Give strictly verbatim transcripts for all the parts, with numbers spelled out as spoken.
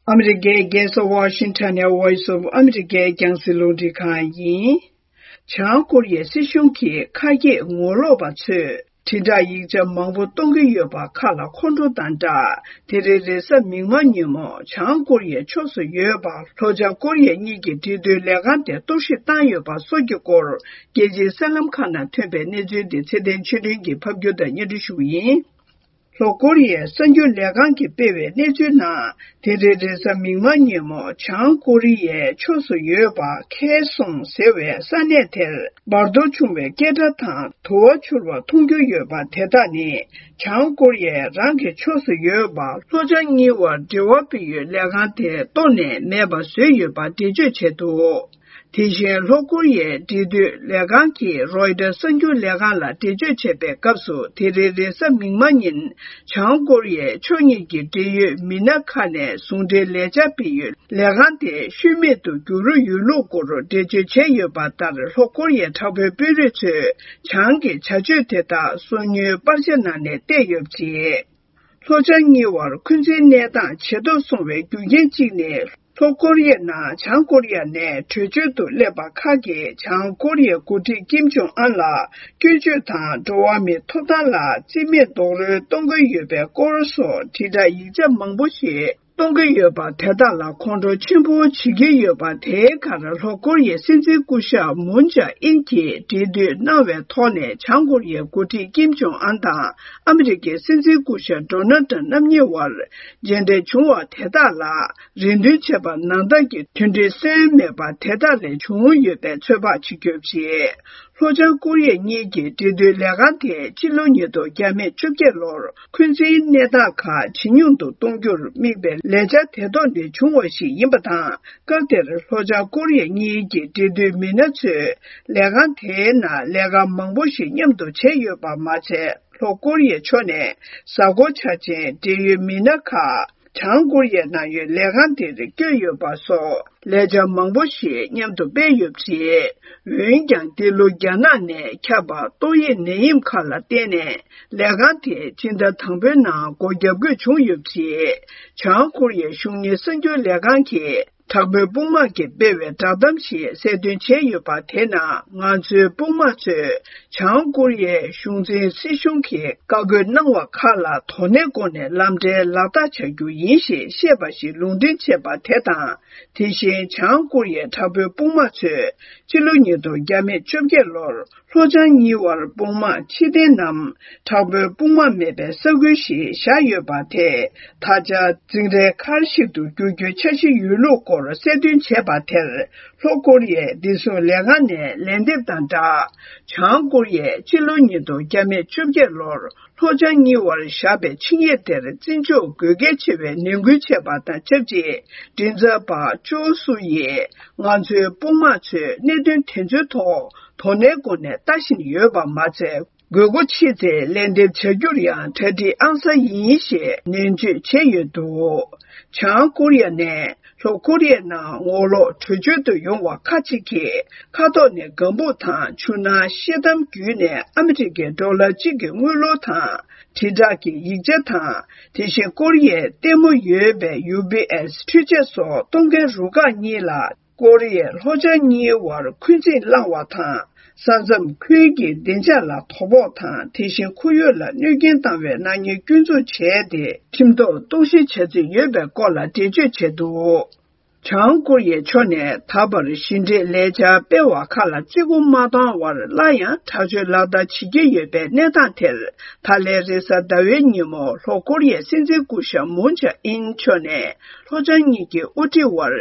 ཨ་མི་རི་ཀའི་རྒྱལ་ས་ཝ་ཤིང་ཊོན་ནས་Voice of America་རྒྱང་སྲིང་རླུང་འཕྲིན་ཁང་ཡིན། བྱང་ཀོ་རི་ཡའི་སྲིད་གཞུང་གིས་ཁ་གྱེས་ངོ་ལོག་པ་ཚོས་དྲིལ་བསྒྲགས་ཡིག་ཆ་མང་པོ་གཏོང་གི་ཡོད་པ་ཁག་ལ་ཁོང་ཁྲོ་དང་སྦྲགས། དེ་རིང་རེས་གཟའ་མིག་དམར་ཉིན་མོ་བྱང་ཀོ་རི་ཡའི་ཕྱོགས་སུ་ཡོད་པ་ལྷོ་བྱང་ཀོ་རི་ཡ་གཉིས་ཀྱི་འབྲེལ་མཐུད་ལས་ཁང་དེ་གཏོར་བཤིག་བཏང་ཡོད་པ་སོགས་ཀྱི་སྐོར། རྒྱལ་སྤྱིའི་གསར་ལམ་ཁག་ནང་ཐོན་པའི་གནས་ཚུལ་འདི་ཚེ་བརྟན་ཆོས་སྒྲོན་གྱིས་ཕབ་སྒྱུར་དང་སྙན་སྒྲོན་ཞུ་གི་ཡིན། ལྷོ་ཀོ་རི་ཡའི་གསར་འགྱུར་ལས་ཁང་གིས་སྤེལ་བའི་གནས་ཚུལ་ནང་། དེ་རིང་རེས་གཟའ་མིག་དམར་ཉིན་མོ་བྱང་ཀོ་རི་ཡའི་ཕྱོགས་སུ་ཡོད་པ་ཁེ་སོང་ཟེར་བའི་ས་གནས་དེར་འབར་གཏོར་བྱུང་བའི་སྐད་སྒྲ་དང་དུ་བ་འཕྱུར་བ་མཐོང་རྒྱུ་ཡོད་པ་དེ་དག་ནི། བྱང་ཀོ་རི་ཡས་རང་གི་ཕྱོགས་སུ་ཡོད་པ་ལྷོ་བྱང་གཉིས་བར་འབྲེལ་བ་སྤེལ་ཡུལ་ལས་ཁང་དེ་གཏོར་ནས་མེད་པ་བཟོས་ཡོད་པ་འགྲེལ་བརྗོད་བྱས་འདུག་དེ་བཞིན་ལྷོ་ཀོ་རི་ཡའི་འབྲེལ་མཐུད་ལས་ཁང་གིས་རོའི་ཊར་གསར་འགྱུར་ལས་ཁང་ལ་འགྲེལ་བརྗོད་བྱས་པའི་སྐབས་སུ། དེ་རིང་རེས་གཟའ་མིག་དམར་ཉིན་བྱང་ཀོ་རི་ཡའི་ཕྱོགས་གཉིས་ཀྱི་འབྲེལ་ཡོད་མི་སྣ་ཁག་ནས་ཟུང་འབྲེལ་ལས་འཆར་སྤེལ་ཡུལ་ལས་ཁང་དེ་ཤུལ་མེད་དུ་འགྱུར་ཡོད་ལུགས་སྐོར་འགྲེལ་བརྗོད་བྱས་ཡོད་པ་ལྟར། ལྷོ་ཀོ་རི་ཡའི་དྲག་པོའི་དཔོན་རིགས་ཚོས་བྱང་གི་བྱ་སྤྱོད་དེ་དག་སོ་ཉུལ་པར་ཆས་ནང་ནས་བལྟས་ཡོད་པ་རེད། ལྷོ་བྱང་གཉིས་བར་འཁོན་འཛིན་གནས་སྟངས་ཇེ་སྡུག་སོང་བའི་རྒྱུ་རྐྱེན་གཅིག་ནི། ལྷོ་ཀོ་རི་ཡའི་ནང་བྱང་ཀོ་རི་ཡ་ནས་བྲོས་བྱོལ་དུ་སླེབས་པ་ཁག་གིས་བྱང་ཀོ་རི་ཡའི་འགོ་ཁྲིད་ཀིམ་ཇོང་ཨན་ལ་སྐྱོན་བརྗོད་དང་འགྲོ་བ་མིའི་ཐོབ་ཐང་ལ་རྩིས་མེད་རྡོག་རོལ་གཏོང་གི་ཡོད་པའི་སྐོར་སོགས་དྲིལ་བསྒྲགས་ཡིག་ཆ་མང་པོ་ཞིག་གཏོང་གི་ཡོད་པ་དེ་དག་ལ་ཁོང་ཁྲོ་ཆེན་པོ་བྱེད་ཀྱི་ཡོད་པ། དེའི་ཁར་ལྷོ་ཀོ་རི་ཡའི་སྲིད་འཛིན་སྐུ་ཞབས་མུན་ཇཱ་ཨིན་གྱིས་འབྲེལ་མཐུད་གནང་བའི་ཐོག་ནས་བྱང་ཀོ་རི་ཡའི་འགོ་ཁྲིད་ཀིམ་ཇོང་ཨན་དང་ཨ་མི་རི་ཀའི་སྲིད་འཛིན་སྐུ་ཞབས་ཌོ་ནལ་ཊམ་རྣམ་གཉིས་བར་མཇལ་འཕྲད་བྱུང་བ་དེ་དག་ལ། རེ་འདུན་བྱས་པ་ནང་ལྟར་གྱི་མཐུན་སྒྲིལ་སོན་མེད་པ་དེ་དག་ལས་བྱུང་ཡོད་པའི་ཚོད་དཔག་བྱེད་རྒྱུ་རེད། ལྷོ་བྱང་ཀོ་རི་ཡ་གཉིས་ཀྱི་འབྲེལ་མཐུད་ལས་ཁང་དེས་སྤྱི་ལོ་ཉིས་སྟོང་བརྒྱ་མེད་བཅོ་བརྒྱད་ལོར་འཁོན་འཛིན་གནས་སྟངས་ཁག་ཇེ་ཉུང་དུ་གཏོང་རྒྱུར་དམིགས་པའི་ལས་འཆར་དེ་ཐོག་ནས་བྱུང་བ་ཞིག་ཡིན་པ་དང་། སྐབས་དེར་ལྷོ་བྱང་ཀོ་རི་ཡ་གཉིས་ཀྱི་འབྲེལ་མཐུད་མི་སྣ་ཚོས་ལས་ཁང་དེའི་ནང་ལས་ཀ་མང་པོ་ཞིག་མཉམ་དུ་བྱས་ཡོད་པ་མ་ཚད། ལྷོ་ཀོ་རི་ཡའི་ཕྱོགས་ནས་གཟའ་འཁོར་འཆར་ཅན་འབྲེལ་ཡོད་མི་སྣ་ཁག་བྱང་ཀོ་རི་ཡའི་ནང་ཡོད་ལས་ཁང་དེར་བསྐྱོད་ཡོད་པ་སོགས་ལས་འཆར་མང་པོ་ཞིག་མཉམ་དུ་སྤེལ་ཡོད་པ་རེད། འོན་ཀྱང་། འདི་ལོ་རྒྱ་ནག་ནས་ཁྱབ་པ་ཏོག་དབྱིབས་ནད་ཡམས་ཁག་ལ་བརྟེན་ནས་ལས་ཁང་དེ་སྤྱི་ཟླ་དང་པོའི་ནང་སྒོ་བརྒྱབ་དགོས་བྱུང་ཡོད་པ་རེད། བྱང་ཀོ་རི་ཡའི་གཞུང་གཉེར་གསར་འགྱུར་ལས་ཁང་གིས། དྲག་པོའི་དཔུང་དམག་གིས་སྤེལ་བའི་བསྒྲགས་གཏམ་ཞིག་གསལ་སྟོན་བྱས་ཡོད་པ་དེ་ནང་། ང་ཚོའི་དཔུང་དམག་ཚོས་བྱང་ཀོ་རི་ཡའི་གཞུང་འཛིན་སྲིད་གཞུང་གིས་བཀའ་བཀོད་གནང་བ་ཁག་ལ་དོ་ནན་སྒོ་ནས་ལམ་འཕྲལ་ལག་བསྟར་བྱ་རྒྱུ་ཡིན་ཞེས་བཤད་པ་ཞིག་ལུང་འདྲེན་བྱས་པ་དེ་དང་། དེ་བཞིན་བྱང་ཀོ་རི་ཡའི་དྲག་པོའི་དཔུང་དམག་ཚོས་སྤྱི་ལོ་ཉིས་སྟོང་བརྒྱ་མེད་བཅོ་བརྒྱད་ལོར། ལྷོ་བྱང་གཉིས་བར་དཔུང་དམག་ཕྱིར་འཐེན་ནམ། དྲག་པོའི་དཔུང་དམག་མེད་པའི་ས་ཁུལ་ཞིག་བཞག་ཡོད་པ་དེས། ད་ཆ་འཛིང་རེས་མཁར་ཞིག་ཏུ་འགྱུར་རྒྱུའི་འཆར་གཞི་ཡོད་ལུགས་སྐོར་གསལ་སྟོན་བྱས་པ་དེར། ལྷོ་ཀོ་རི་ཡའི་བདེ་སྲུང་ལས་ཁང་ནས་ལན་འདེབས་དང་སྦྲགས། བྱང་ཀོ་རི་ཡས་སྤྱི་ལོ་ཉིས་སྟོང་བརྒྱ་མེད་བཅོ་བརྒྱད་ལོར། ལྷོ་བྱང་གཉིས་བར་བཞག་པའི་ཆིངས་ཡིག་དེར་བརྩི་འཇོག་དགོས་གལ་ཆེ་བའི་ནན་སྐུལ་བྱས་པ་དང་ཆབས་ཅིག་མགྲིན་ཚབ་པ་ཅོ་སུ་ཡིས། ང་ཚོའི་དཔུང་དམག་ཚོས་གནད་དོན་དེ་ཚོའི་ཐོག་དོ་ནན་སྒོ་ནས་ལྟ་བཞིན་ཡོད་པ་མ་ཚད། དགོས་མཁོ་ཆེ་ཚེ་ལན་འདེབས་བྱ་རྒྱུར་ཡང་གྲ་སྒྲིག་ཨང་གསར་ཡིན་ཞེས་ནན་བརྗོད་བྱས་ཡོད་འདུག་བྱང་ཀོ་རི་ཡ་ནས་ལྷོ་ཀོ་རི་ཡའི་ནང་ངོ་ལོག་བྲོས་བྱོལ་དུ་ཡོང་བ་ཁག་ཅིག་གིས། མཁའ་ཐོག་ནས་སྒམ་པོ་དང་ཆུ་ནང་ཤེལ་དམ་བརྒྱུད་ནས་ཨ་མི་རི་ཀའི་ཌོ་ལར་གཅིག་གི་དངུལ་ལོར་དང་། དྲིལ་བསྒྲགས་ཀྱི་ཡིག་ཆ་དང་། དེ་བཞིན་ཀོ་རི་ཡའི་ལྟད་མོ་ཡོད་པའི་ཡུ་པི་ཨེས་འཕྲུལ་ཆས་སོགས་གཏོང་མཁན་རུ་ཁག་གཉིས་ལ། ཀོ་རི་ཡས་ལྷོ་བྱང་གཉིས་བར་འཁོན་འཛིན་བསླངས་བ་དང་། ས་མཚམས་ཁུལ་གྱི་བདེ་འཇགས་ལ་དོ་ཕོག་དང་། དེ་བཞིན་ཁོར་ཡུག་ལ་གནོད་སྐྱོན་བཏང་བའི་ནག་ཉེས་སྐྱོན་འཛུགས་བྱས་ཏེ། ཁྲིམས་ཐོག་གཏོར་བཤིག་བྱ་རྩིས་ཡོད་པའི་སྐོར་ལ་འགྲེལ་བརྗོད་བྱས་འདུག་བྱང་ཀོ་རི་ཡའི་ཕྱོགས་ནས་ད་བར་ཞི་འགྲིག་ལས་འཆར་སྤེལ་བ་ཁག་ལ་བརྩི་བཀུར་མ་བཏང་བར། སླར་ཡང་དྲག་སྤྱོད་ལག་བསྟར་བྱེད་ཀྱི་ཡོད་པའི་གནས་སྟངས་དེར། ད་ལན་རེས་གཟའ་ཟླ་བའི་ཉིན་མོ་ལྷོ་ཀོ་རི་ཡའི་སྲིད་འཛིན་སྐུ་ཞབས་མུན་ཇཱ་ཨིན་མཆོག་ནས། ལྷོ་བྱང་གཉིས་ཀྱི་དབུ་ཁྲིད་དབར་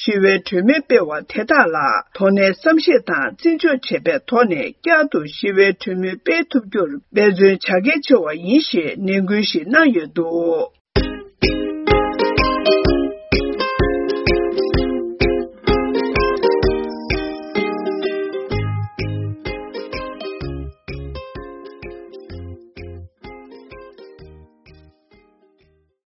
ཞི་བའི་གྲོས་མོལ་སྤེལ་བ་དེ་དག་ལ་དོ་ནན་བསམ་ཤེས་དང་བརྩི་འཇོག་བྱས་པའི་ཐོག་ནས། བསྐྱར་དུ་ཞི་བའི་གྲོས་མོལ་སྤེལ་ཐུབ་རྒྱུར་འབད་བརྩོན་བྱ་གལ་ཆེ་བ་ཡིན་ཞེས་ནན་སྐུལ་ཞིག་གནང་ཡོད་འདུག